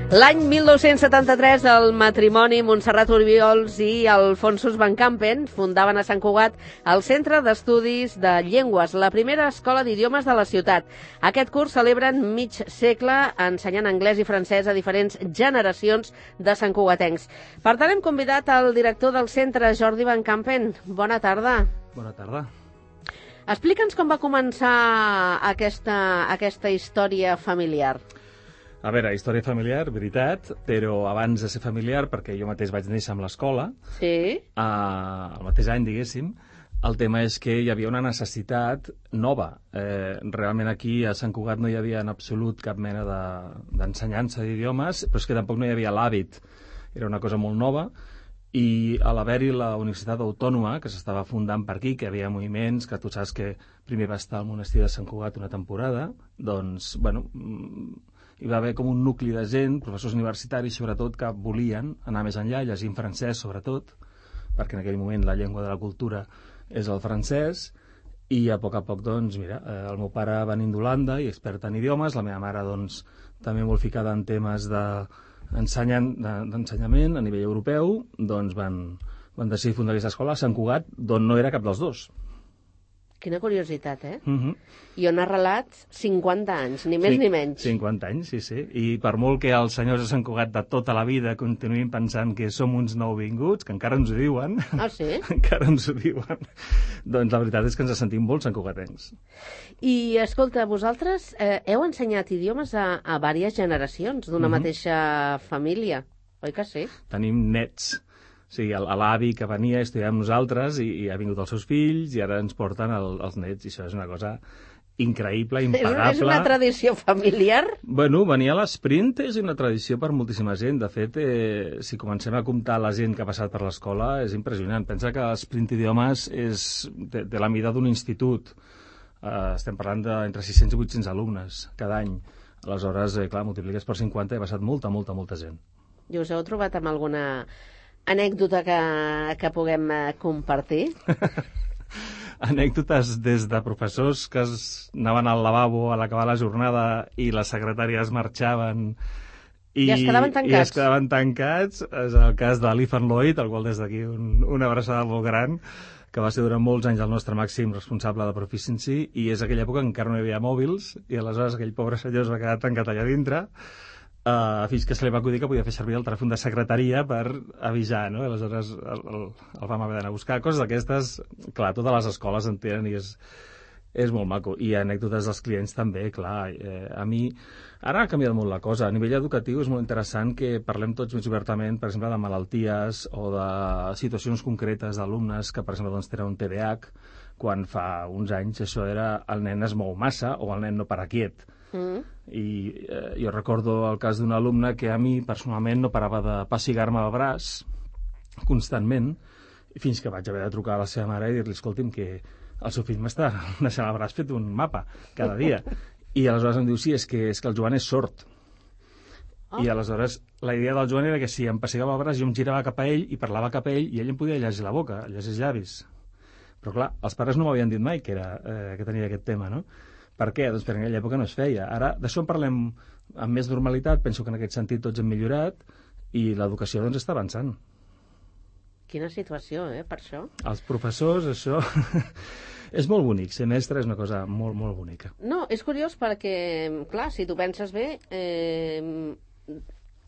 L'any 1973, el matrimoni Montserrat Oriols i Alfonsos Van Campen fundaven a Sant Cugat el Centre d'Estudis de Llengües, la primera escola d'idiomes de la ciutat. Aquest curs celebren mig segle ensenyant anglès i francès a diferents generacions de santcugatencs. Per tant, hem convidat el director del centre, Jordi Van Campen. Bona tarda. Bona tarda. Explica'ns com va començar aquesta història familiar. A veure, història familiar, veritat, però abans de ser familiar, perquè jo mateix vaig néixer amb l'escola, Sí. el mateix any, diguéssim, el tema és que hi havia una necessitat nova. Realment aquí a Sant Cugat no hi havia en absolut cap mena d'ensenyança d'idiomes, però és que tampoc no hi havia l'hàbit. Era una cosa molt nova, i a l'haver-hi la Universitat Autònoma, que s'estava fundant per aquí, que hi havia moviments, que tu saps que primer va estar al monestir de Sant Cugat una temporada, doncs, bueno, hi va haver com un nucli de gent, professors universitaris sobretot, que volien anar més enllà, llegint francès sobretot, perquè en aquell moment la llengua de la cultura és el francès, i a poc, doncs, mira, el meu pare venint d'Holanda i expert en idiomes, la meva mare, doncs, també molt ficada en temes d'ensenyament a nivell europeu, doncs van decidir fundar aquesta escola a Sant Cugat, d'on no era cap dels dos. Quina curiositat, eh? I on ha relat 50 anys, ni més ni menys. 50 anys, sí. I per molt que els senyors de Sant Cugat de tota la vida continuïn pensant que som uns nouvinguts, que encara ens ho diuen... Ah, sí? Encara ens ho diuen. Doncs la veritat és que ens sentim molt santcugatencs. I, escolta, vosaltres heu ensenyat idiomes a diverses generacions d'una mateixa família, oi que sí? Tenim nets. O sigui, l'avi que venia a estudiar amb nosaltres i ha vingut els seus fills i ara ens porten els nets, i això és una cosa increïble, impagable. És una tradició familiar? Bueno, venir a l'esprint és una tradició per moltíssima gent. De fet, si comencem a comptar la gent que ha passat per l'escola, és impressionant. Pensa que l'esprint idiomes té la mida d'un institut. Estem parlant d'entre 600 i 800 alumnes cada any. Aleshores, clar, multipliques per 50 i ha passat molta gent. I us heu trobat amb alguna anècdota que puguem compartir? Anècdotes des de professors que anaven al lavabo a l'acabar la jornada i les secretàries marxaven i es quedaven tancats. És el cas de l'Ethan Lloyd, al qual des d'aquí una abraçada molt gran, que va ser durant molts anys el nostre màxim responsable de Proficiency, i és aquella època en què encara no hi havia mòbils, i aleshores aquell pobre senyor es va quedar tancat allà dintre, fins que se li va acudir que podia fer servir el telèfon de secretaria per avisar, no? Aleshores el vam haver d'anar a buscar. Coses d'aquestes, clar, totes les escoles en tenen i és molt maco. I anècdotes dels clients també, clar. A mi, ara ha canviat molt la cosa. A nivell educatiu és molt interessant que parlem tots més obertament, per exemple, de malalties o de situacions concretes d'alumnes que, per exemple, doncs, tenen un TDAH, quan fa uns anys això era el nen es mou massa o el nen no para quiet. I jo recordo el cas d'un alumne que a mi personalment no parava de pessigar-me el braç constantment, fins que vaig haver de trucar a la seva mare i dir-li, escolti'm, que el seu fill m'està deixant el braç fet un mapa cada dia. I aleshores em diu, sí, és que el Joan és sord. I aleshores la idea del Joan era que si em pessigava el braç jo em girava cap a ell i parlava cap a ell i ell em podia llegir la boca, llegir els llavis. Però clar, els pares no m'havien dit mai que tenia aquest tema, no? Per què? Doncs perquè en aquella època no es feia. Ara d'això en parlem amb més normalitat, penso que en aquest sentit tots hem millorat i l'educació doncs està avançant. Quina situació, per això. Els professors, això... és molt bonic, ser mestre és una cosa molt, molt bonica. No, és curiós perquè, clar, si tu penses bé,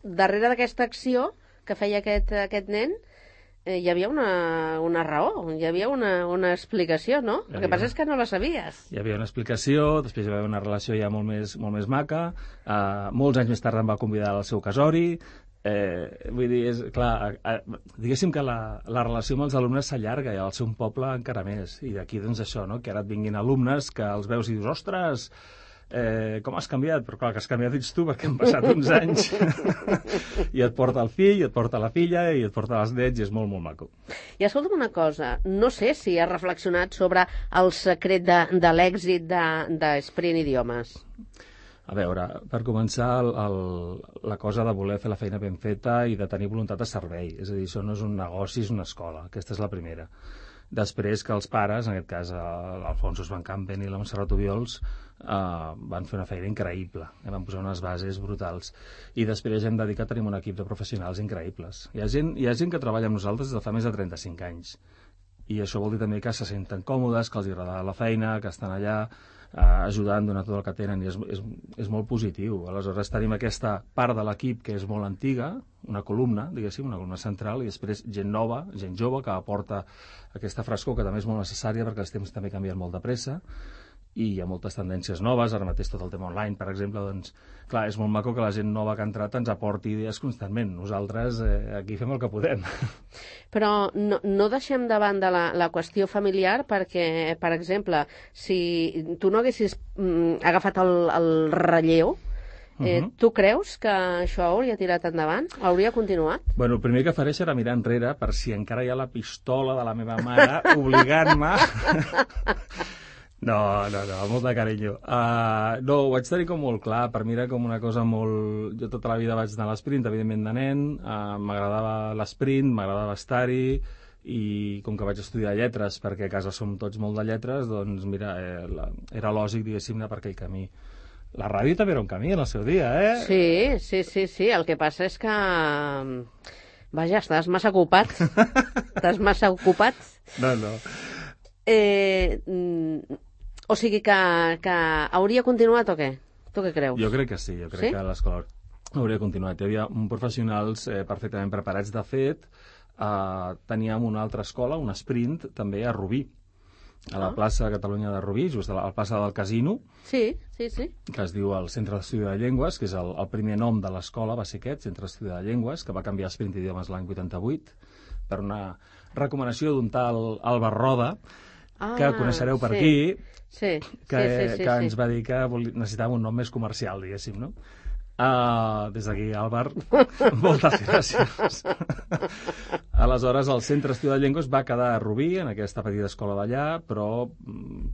darrere d'aquesta acció que feia aquest nen, hi havia una raó, hi havia una explicació, no? El que passa és que no la sabies. Hi havia una explicació, després hi va haver una relació ja molt més maca, molts anys més tard em va convidar al seu casori, vull dir, és clar, diguéssim que la relació amb els alumnes s'allarga i al ser un poble encara més, i d'aquí doncs això, no? Que ara et vinguin alumnes que els veus i dius, ostres, com has canviat? Però clar, que has canviat ets tu perquè han passat uns anys i et porta el fill, i et porta la filla i et porta els nets i és molt, molt maco. I escolta'm una cosa, no sé si has reflexionat sobre el secret de l'èxit d'Esprint Idiomes. A veure, per començar, la cosa de voler fer la feina ben feta i de tenir voluntat de servei. És a dir, això no és un negoci, és una escola. Aquesta és la primera. després que els pares, en aquest cas l'Alfonso Van Campen i la Montserrat Obiols, van fer una feina increïble, van posar unes bases brutals, i després hem dedicat, tenim un equip de professionals increïbles. Hi ha gent que treballa amb nosaltres des de fa més de 35 anys, i això vol dir també que se senten còmodes, que els agrada la feina, que estan allà ajudant, donant tot el que tenen, i és molt positiu. Aleshores tenim aquesta part de l'equip que és molt antiga, una columna, diguéssim, una columna central, i després gent nova, gent jove, que aporta aquesta frescor que també és molt necessària perquè els temps també canvien molt de pressa, i hi ha moltes tendències noves, ara mateix tot el tema online, per exemple, doncs, clar, és molt maco que la gent nova que ha entrat ens aporti idees constantment. Nosaltres aquí fem el que podem. Però no deixem de banda la qüestió familiar perquè, per exemple, si tu no haguessis agafat el relleu, tu creus que això hauria tirat endavant? Hauria continuat? Bueno, el primer que faré serà mirar enrere per si encara hi ha la pistola de la meva mare obligant-me... No, amb molt de carinyo. No, ho vaig tenir com molt clar, per mi era com una cosa molt... Jo tota la vida vaig anar a l'esprint, evidentment de nen, m'agradava l'esprint, m'agradava estar-hi, i com que vaig estudiar lletres, perquè a casa som tots molt de lletres, doncs mira, era lògic, diguéssim, anar per aquell camí. La ràdio també era un camí en el seu dia, eh? Sí, el que passa és que... Vaja, estàs massa ocupat. Estàs massa ocupat. No. O sigui que hauria continuat o què? Tu què creus? Jo crec que sí, que l'escola hauria continuat. Hi havia professionals perfectament preparats. De fet, teníem una altra escola, un sprint, també a Rubí, a la plaça de Catalunya de Rubí, just a la plaça del Casino, sí. que es diu el Centre d'Estudi de Llengües, que és el primer nom de l'escola, va ser aquest, Centre d'Estudi de Llengües, que va canviar a Sprint Idiomes l'any 88, per una recomanació d'un tal Albert Roda, que coneixereu per aquí, que ens va dir que necessitàvem un nom més comercial, diguéssim, no? Des d'aquí, Albert, moltes gràcies. Aleshores, el Centre d'Estudi de Llengües va quedar a Rubí, en aquesta petita escola d'allà, però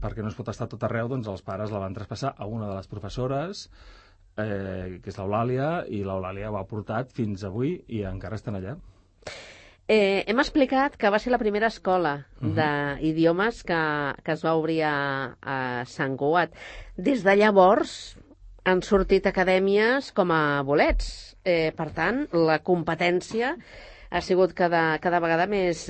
perquè no es pot estar tot arreu, doncs els pares la van traspassar a una de les professores, que és l'Eulàlia, i l'Eulàlia ho ha portat fins avui i encara estan allà. Hem explicat que va ser la primera escola d'idiomes que es va obrir a Sant Cugat. Des de llavors han sortit acadèmies com a bolets. Per tant, la competència ha sigut cada vegada més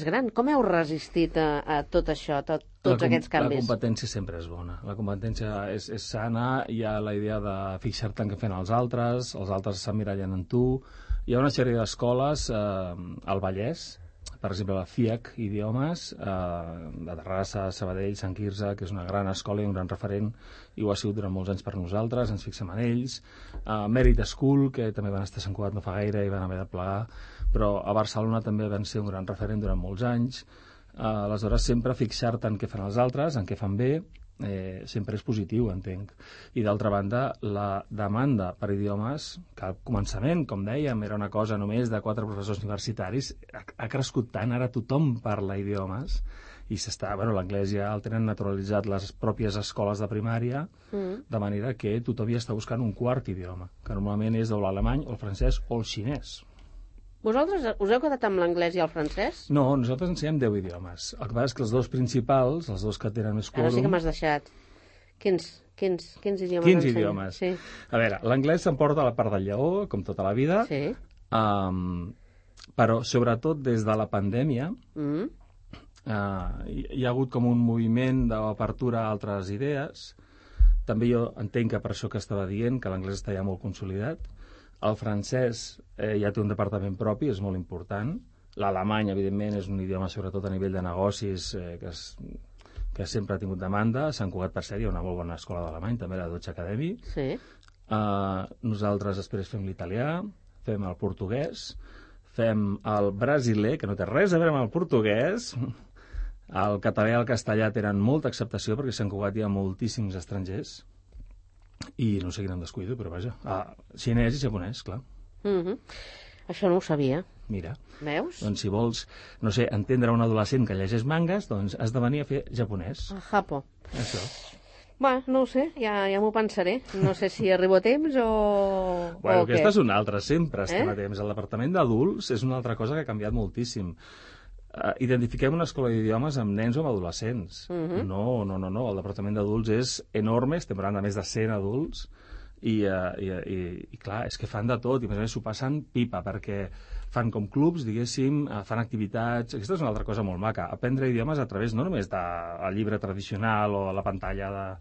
gran. Com heu resistit a tot això, tots aquests canvis? La competència sempre és bona. La competència és sana, hi ha la idea de fixar-te en què fan els altres s'emmirallen en tu. Hi ha una sèrie d'escoles al Vallès, per exemple la FIAC Idiomes, de Terrassa, Sabadell, Sant Quirze, que és una gran escola i un gran referent, i ho ha sigut durant molts anys per nosaltres, ens fixem en ells. Merit School, que també van estar a Sant Cugat no fa gaire i van haver de plegar, però a Barcelona també van ser un gran referent durant molts anys. Aleshores, sempre fixar-te en què fan els altres, en què fan bé, sempre és positiu, entenc. I d'altra banda, la demanda per idiomes, que al començament, com dèiem, era una cosa només de 4 professors universitaris, ha crescut tant, ara tothom parla idiomes, i l'anglès ja el tenen naturalitzat les pròpies escoles de primària, de manera que tothom ja està buscant un quart idioma, que normalment és l'alemany, o el francès o el xinès. Vosaltres us heu quedat amb l'anglès i el francès? No, nosaltres ensenyem 10 idiomes. El que passa és que els dos principals, els dos que tenen més quòrum... Ara sí que m'has deixat. Quins idiomes 15 idiomes. Sí. A veure, l'anglès s'emporta la part del lleó, com tota la vida, sí. Però sobretot des de la pandèmia hi ha hagut com un moviment d'obertura a altres idees. També jo entenc que per això que estava dient, que l'anglès està ja molt consolidat. El francès ja té un departament propi, és molt important. L'alemany, evidentment, és un idioma, sobretot a nivell de negocis, que sempre ha tingut demanda. A Sant Cugat, per cert, hi ha una molt bona escola d'alemany, també la Deutsche Academy. Sí. Nosaltres després fem l'italià, fem el portuguès, fem el brasiler, que no té res a veure amb el portuguès. El català i el castellà tenen molta acceptació, perquè a Sant Cugat hi ha moltíssims estrangers. I no sé quin em descuido, però vaja. Xinès i japonès, clar. Això no ho sabia. Mira. Veus? Doncs si vols, no sé, entendre un adolescent que llegeix mangas, doncs has de venir a fer japonès. Japo. Això. Bueno, no ho sé, ja m'ho pensaré. No sé si arribo a temps o... Bueno, aquesta és una altra, sempre estem a temps. El departament d'adults és una altra cosa que ha canviat moltíssim. identifiquem una escola d'idiomes amb nens o amb adolescents. No, el departament d'adults és enorme, estem parlant de més de 100 adults, i clar, és que fan de tot, i a més s'ho passen pipa, perquè fan com clubs, diguéssim, fan activitats. Aquesta és una altra cosa molt maca, aprendre idiomes a través no només del llibre tradicional o la pantalla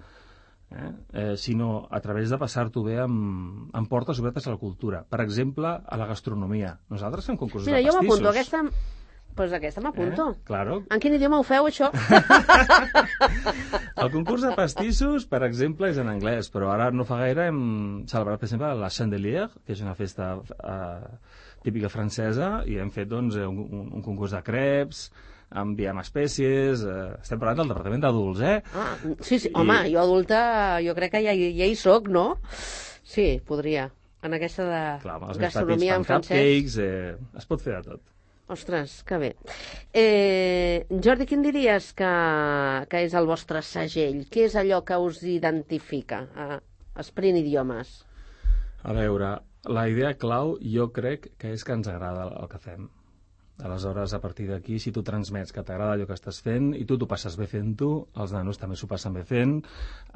sinó a través de passar-t'ho bé amb portes obertes a la cultura. Per exemple, a la gastronomia. Nosaltres fem concursos de pastissos. Mira, jo m'apunto, doncs aquesta m'apunto. Claro. En quin idioma ho feu, això? El concurs de pastissos, per exemple, és en anglès, però ara no fa gaire hem celebrat, per exemple, la Chandelier, que és una festa típica francesa, i hem fet doncs, un concurs de crepes, enviem espècies, estem parlant del departament d'adults, Sí, home, jo adulta, jo crec que ja hi soc, no? Sí, podria. En aquesta de gastronomia en francès. Cupcakes, es pot fer de tot. Ostres, que bé. Jordi, quin diries que és el vostre segell? Què és allò que us identifica a Sprint Idiomes? A veure, la idea clau jo crec que és que ens agrada el que fem. Aleshores, a partir d'aquí, si tu transmets que t'agrada allò que estàs fent i tu t'ho passes bé fent-ho, els nanos també s'ho passen bé fent,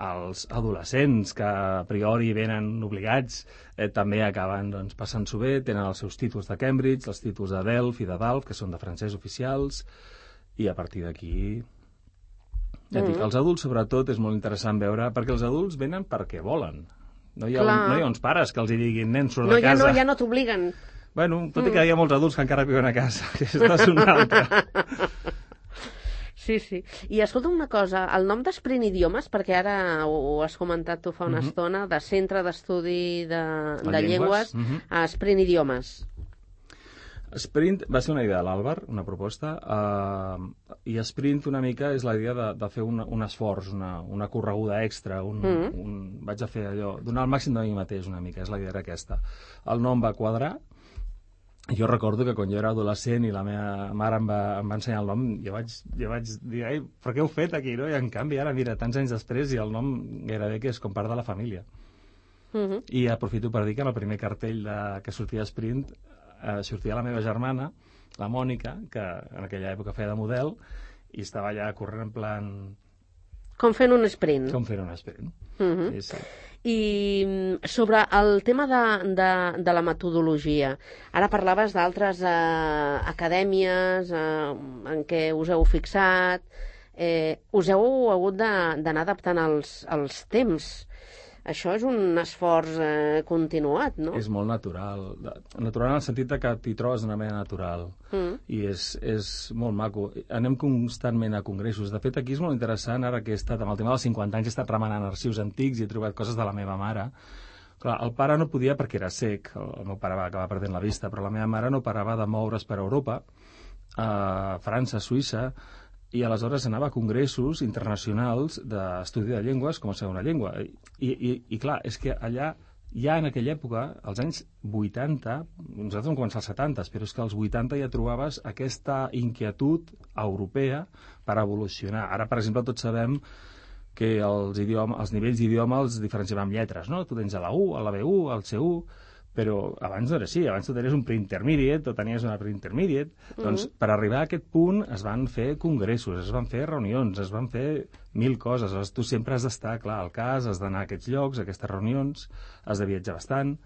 els adolescents que a priori venen obligats també acaben doncs, passant-s'ho bé, tenen els seus títols de Cambridge, els títols de Delft i de Dalf, que són de francès oficials, i a partir d'aquí... Ja dic, els adults, sobretot, és molt interessant veure, perquè els adults venen perquè volen. No hi ha uns pares que els hi diguin, nen, surt de casa. Ja no t'obliguen. Bueno, tot i que hi ha molts adults que encara viuen a casa. Aquesta és una altra. Sí. I escolta'm una cosa, el nom d'Sprint Idiomes, perquè ara ho has comentat tu fa una estona, de Centre d'Estudi de Llengües a Sprint Idiomes. Sprint va ser una idea de l'Àlvar, una proposta, i Sprint una mica és la idea de fer un esforç, una correguda extra, vaig a fer allò, donar el màxim de mi mateix una mica, és la idea aquesta. El nom va quadrar. Jo recordo que quan jo era adolescent i la meva mare em va ensenyar el nom, jo vaig dir, ai, però què heu fet aquí, no? I en canvi ara, mira, tants anys després i el nom gairebé que és com part de la família. I aprofito per dir que en el primer cartell que sortia a Sprint sortia la meva germana, la Mònica, que en aquella època feia de model, i estava allà corrent en plan... Com fent un sprint. Sí. I sobre el tema de la metodologia, ara parlaves d'altres acadèmies en què us heu fixat, us heu hagut d'anar adaptant als temps. Això és un esforç continuat, no? És molt natural. Natural en el sentit que t'hi trobes d'una manera natural. I és molt maco. Anem constantment a congressos. De fet, aquí és molt interessant, ara que he estat amb el tema dels 50 anys, he estat remenant arxius antics i he trobat coses de la meva mare. Clar, el pare no podia perquè era cec, el meu pare va acabar perdent la vista, però la meva mare no parava de moure's per Europa, a França, Suïssa, i aleshores anava a congressos internacionals d'estudi de llengües com a segona llengua. I clar, és que allà, ja en aquella època, als anys 80, nosaltres vam començar als 70, però és que als 80 ja trobaves aquesta inquietud europea per evolucionar. Ara, per exemple, tots sabem que els nivells d'idioma els diferenciem amb lletres, no? Tu tens a la U, a la B1, al C1, però abans no era així, abans tu tenies un pre-intermediate o tenies una pre-intermediate, doncs per arribar a aquest punt es van fer congressos, es van fer reunions, es van fer 1000 coses, aleshores tu sempre has d'estar, clar, al cas, has d'anar a aquests llocs, a aquestes reunions, has de viatjar bastant.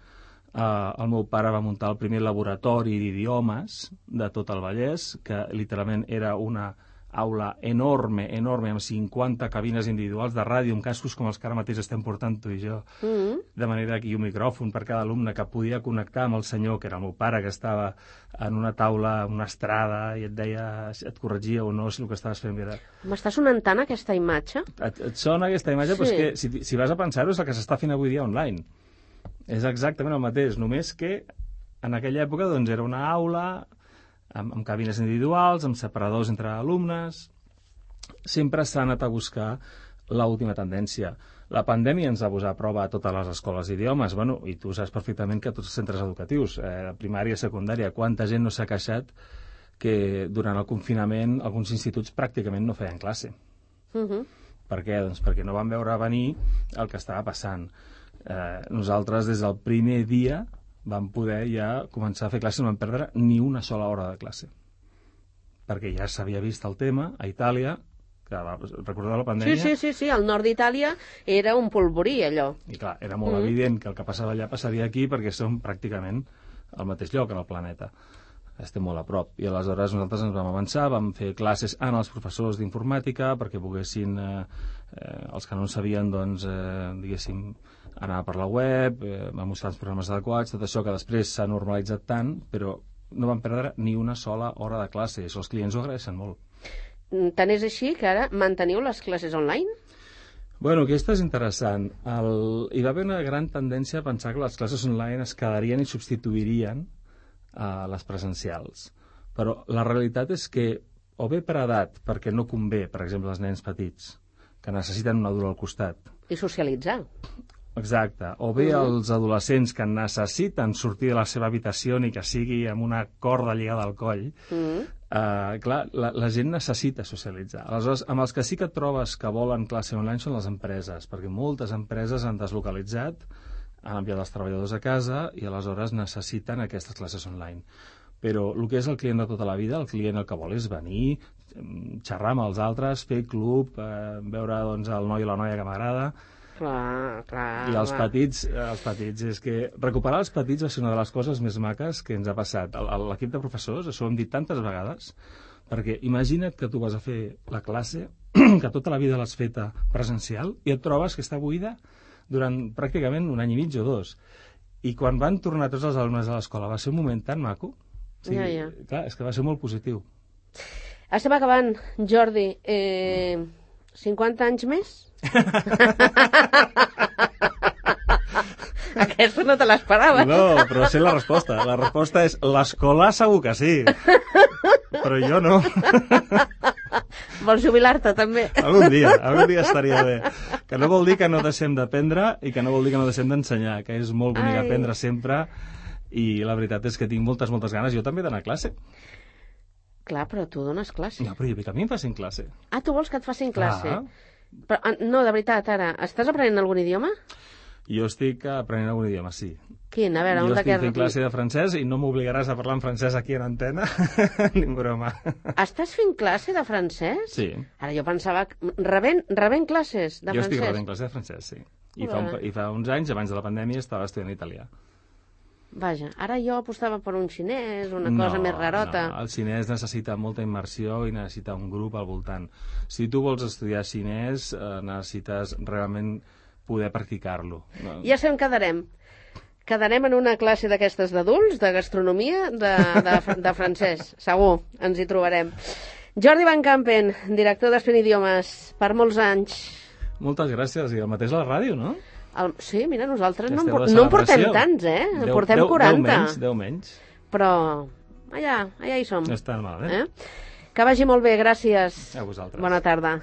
El meu pare va muntar el primer laboratori d'idiomes de tot el Vallès, que literalment era una aula enorme, amb 50 cabines individuals de ràdio, amb cascos com els que ara mateix estem portant tu i jo, de manera que hi ha un micròfon per cada alumne que podia connectar amb el senyor, que era el meu pare, que estava en una taula, en una estrada, i et deia, et corregia o no si el que estaves fent era... M'està sonant tant aquesta imatge? Et sona aquesta imatge, però és que si vas a pensar-ho és el que s'està fent avui dia online. És exactament el mateix, només que en aquella època doncs, era una aula amb cabines individuals, amb separadors entre alumnes. Sempre s'ha anat a buscar l'última tendència. La pandèmia ens va posar a prova a totes les escoles d'idiomes, i tu saps perfectament que tots els centres educatius, primària, secundària, quanta gent no s'ha queixat que durant el confinament alguns instituts pràcticament no feien classe. Per què? Doncs perquè no van veure venir el que estava passant. Nosaltres, des del primer dia, vam poder ja començar a fer classes, no vam perdre ni una sola hora de classe. perquè ja s'havia vist el tema a Itàlia, que recordeu la pandèmia? Sí, el nord d'Itàlia era un polvorí, allò. I clar, era molt evident que el que passava allà passaria aquí perquè som pràcticament al mateix lloc en el planeta. Estem molt a prop. I aleshores nosaltres ens vam avançar, vam fer classes als professors d'informàtica perquè poguessin, els que no en sabien, doncs, diguéssim, anar per la web, vam mostrar els programes adequats, tot això que després s'ha normalitzat tant, però no vam perdre ni una sola hora de classe. Això els clients ho agraeixen molt. Tant és així que ara manteniu les classes online? Bueno, aquesta és interessant. Hi va haver una gran tendència a pensar que les classes online es quedarien i substituirien a les presencials. Però la realitat és que, o bé per edat, perquè no convé, per exemple, als nens petits, que necessiten un adult al costat. I socialitzar. Exacte. O bé els adolescents que necessiten sortir de la seva habitació ni que sigui amb una corda lligada al coll. Clar, la gent necessita socialitzar. Aleshores, amb els que sí que et trobes que volen classe online són les empreses, perquè moltes empreses han deslocalitzat, han enviat els treballadors a casa i aleshores necessiten aquestes classes online. Però el que és el client de tota la vida, el client el que vol és venir, xerrar amb els altres, fer club, veure doncs, el noi i la noia que m'agrada. Clar. I els petits, és que recuperar els petits va ser una de les coses més maques que ens ha passat. L'equip de professors, això ho hem dit tantes vegades, perquè imagina't que tu vas a fer la classe, que tota la vida l'has feta presencial, i et trobes que està buida durant pràcticament un any i mig o dos. I quan van tornar tots els alumnes a l'escola va ser un moment tan maco. Sí, Ja. Clar, és que va ser molt positiu. Estem acabant, Jordi. 50 anys més? Aquesta no te l'esperaves. No, però sé la resposta. La resposta és l'escola segur que sí. Però jo no. Vols jubilar-te, també? Algun dia estaria bé. Que no vol dir que no deixem d'aprendre i que no vol dir que no deixem d'ensenyar, que és molt bonic aprendre sempre i la veritat és que tinc moltes ganes. Jo també d'anar a classe. Clar, però tu dones classe. No, però jo vull que a mi em facin classe. Ah, tu vols que et facin classe? Clar. Però, no, de veritat, ara, estàs aprenent algun idioma? Jo estic aprenent algun idioma, sí. Quin? A veure, jo estic fent classe de francès i no m'obligaràs a parlar en francès aquí en antena, ni en broma. Estàs fent classe de francès? Sí. Ara jo pensava... Rebent classes de francès? Jo estic rebent classe de francès, sí. I fa uns anys, abans de la pandèmia, estava estudiant italià. Vaja, ara jo apostava per un xinès, una cosa més rarota. No, el xinès necessita molta immersió i necessita un grup al voltant. Si tu vols estudiar xinès, necessites realment poder practicar-lo. Ja sé on quedarem. Quedarem en una classe d'aquestes d'adults, de gastronomia, de francès. Segur, ens hi trobarem. Jordi Van Campen, director d'Espent Idiomes, per molts anys. Moltes gràcies, i el mateix a la ràdio, no? Sí, mira, nosaltres no en portem tants, en portem 40. 10 menys. Però allà hi som. No està malament. Que vagi molt bé, gràcies. A vosaltres. Bona tarda.